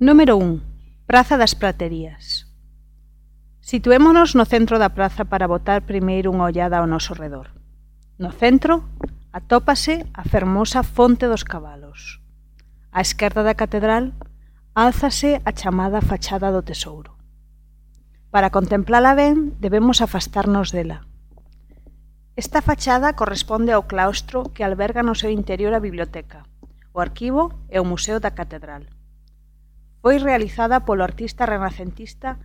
Número 1. Praza das Praterías. Situémonos no centro da praza para botar primeiro unha ollada ao noso redor. No centro atópase a fermosa Fonte dos Cabalos. Á esquerda da catedral álzase a chamada Fachada do Tesouro. Para contemplala ben, debemos afastarnos dela. Esta fachada corresponde ao claustro que alberga no seu interior a biblioteca, o arquivo e o museo da catedral. Foi realizada polo artista renacentista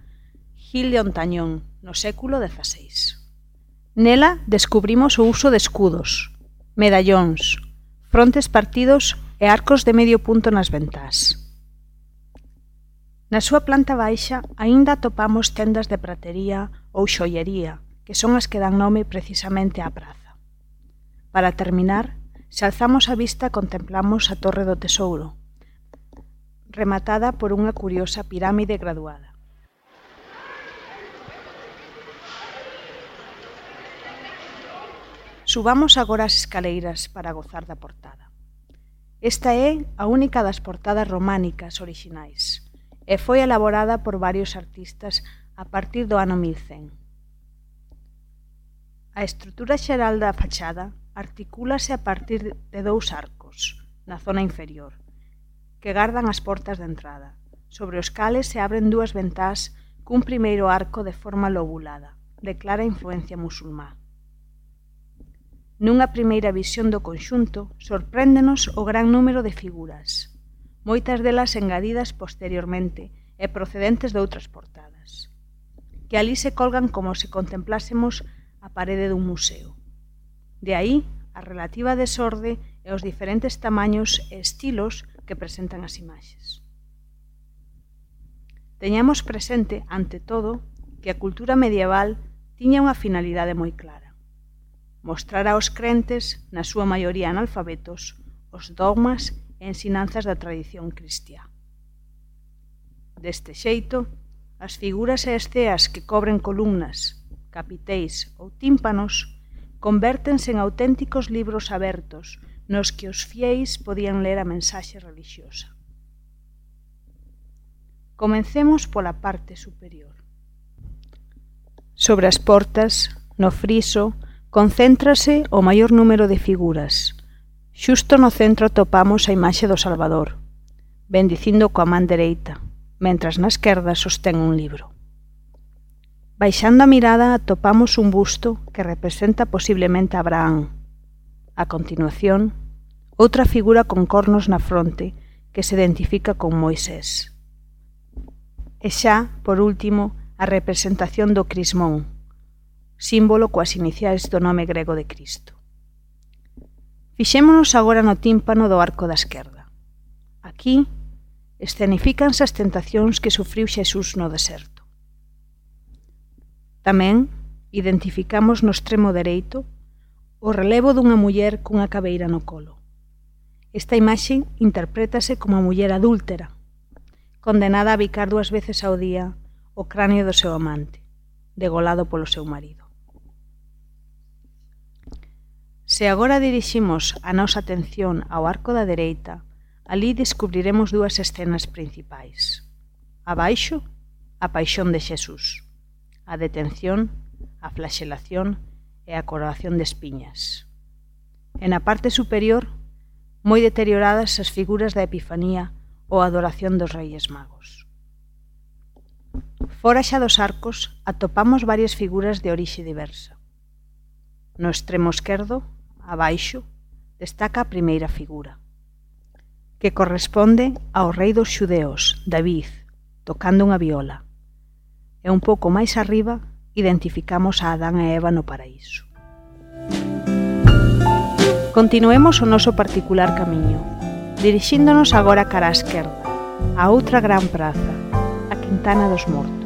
Gil de Ontañón no século XVI. Nela descubrimos o uso de escudos, medallóns, frontes partidos e arcos de medio punto nas ventás. Na súa planta baixa aínda atopamos tendas de pratería ou xoiería, que son as que dan nome precisamente á praza. Para terminar, se alzamos a vista contemplamos a Torre do Tesouro, rematada por unha curiosa pirámide graduada. Subamos agora as escaleiras para gozar da portada. Esta é a única das portadas románicas orixinais e foi elaborada por varios artistas a partir do ano 1100. A estrutura xeral da fachada articúlase a partir de dous arcos na zona inferior, que gardan as portas de entrada, sobre os cales se abren dúas ventás cun primeiro arco de forma lobulada, de clara influencia musulmá. Nunha primeira visión do conxunto, sorpréndenos o gran número de figuras, moitas delas engadidas posteriormente e procedentes de outras portadas, que alí se colgan como se contemplásemos a parede dun museo. De aí a relativa desorde e os diferentes tamaños e estilos que presentan as imaxes. Teñamos presente, ante todo, que a cultura medieval tiña unha finalidade moi clara: mostrar aos crentes, na súa maioría analfabetos, os dogmas e ensinanzas da tradición cristiá. Deste xeito, as figuras e esceas que cobren columnas, capiteis ou tímpanos convértense en auténticos libros abertos nos que os fieis podían ler a mensaxe relixiosa. Comencemos pola parte superior. Sobre as portas, no friso, concéntrase o maior número de figuras. Xusto no centro atopamos a imaxe do Salvador, bendicindo coa man dereita, mentras na esquerda sostén un libro. Baixando a mirada atopamos un busto que representa posiblemente a Abraham. A continuación, outra figura con cornos na fronte que se identifica con Moisés. E xa, por último, a representación do crismón, símbolo coas iniciais do nome grego de Cristo. Fixémonos agora no tímpano do arco da esquerda. Aquí escenifícanse as tentacións que sufriu Xesús no deserto. Tamén identificamos no extremo dereito o relevo dunha muller cunha cabeira no colo. Esta imaxe interprétase como a muller adúltera, condenada a bicar 2 veces ao día o cráneo do seu amante, degolado polo seu marido. Se agora diriximos a nosa atención ao arco da dereita, alí descubriremos 2 escenas principais. Abaixo, a paixón de Xesús, a detención, a flaxelación e a coroación de espiñas. E na parte superior, moi deterioradas as figuras da Epifanía ou a adoración dos Reis Magos. Fora xa dos arcos, atopamos varias figuras de orixe diversa. No extremo esquerdo, abaixo, destaca a primeira figura, que corresponde ao rei dos xudeos, David, tocando unha viola. E un pouco máis arriba identificamos a Adán e Eva no paraíso. Continuemos o noso particular camiño, dirixíndonos agora cara á esquerda, a outra gran praza, a Quintana dos Mortos.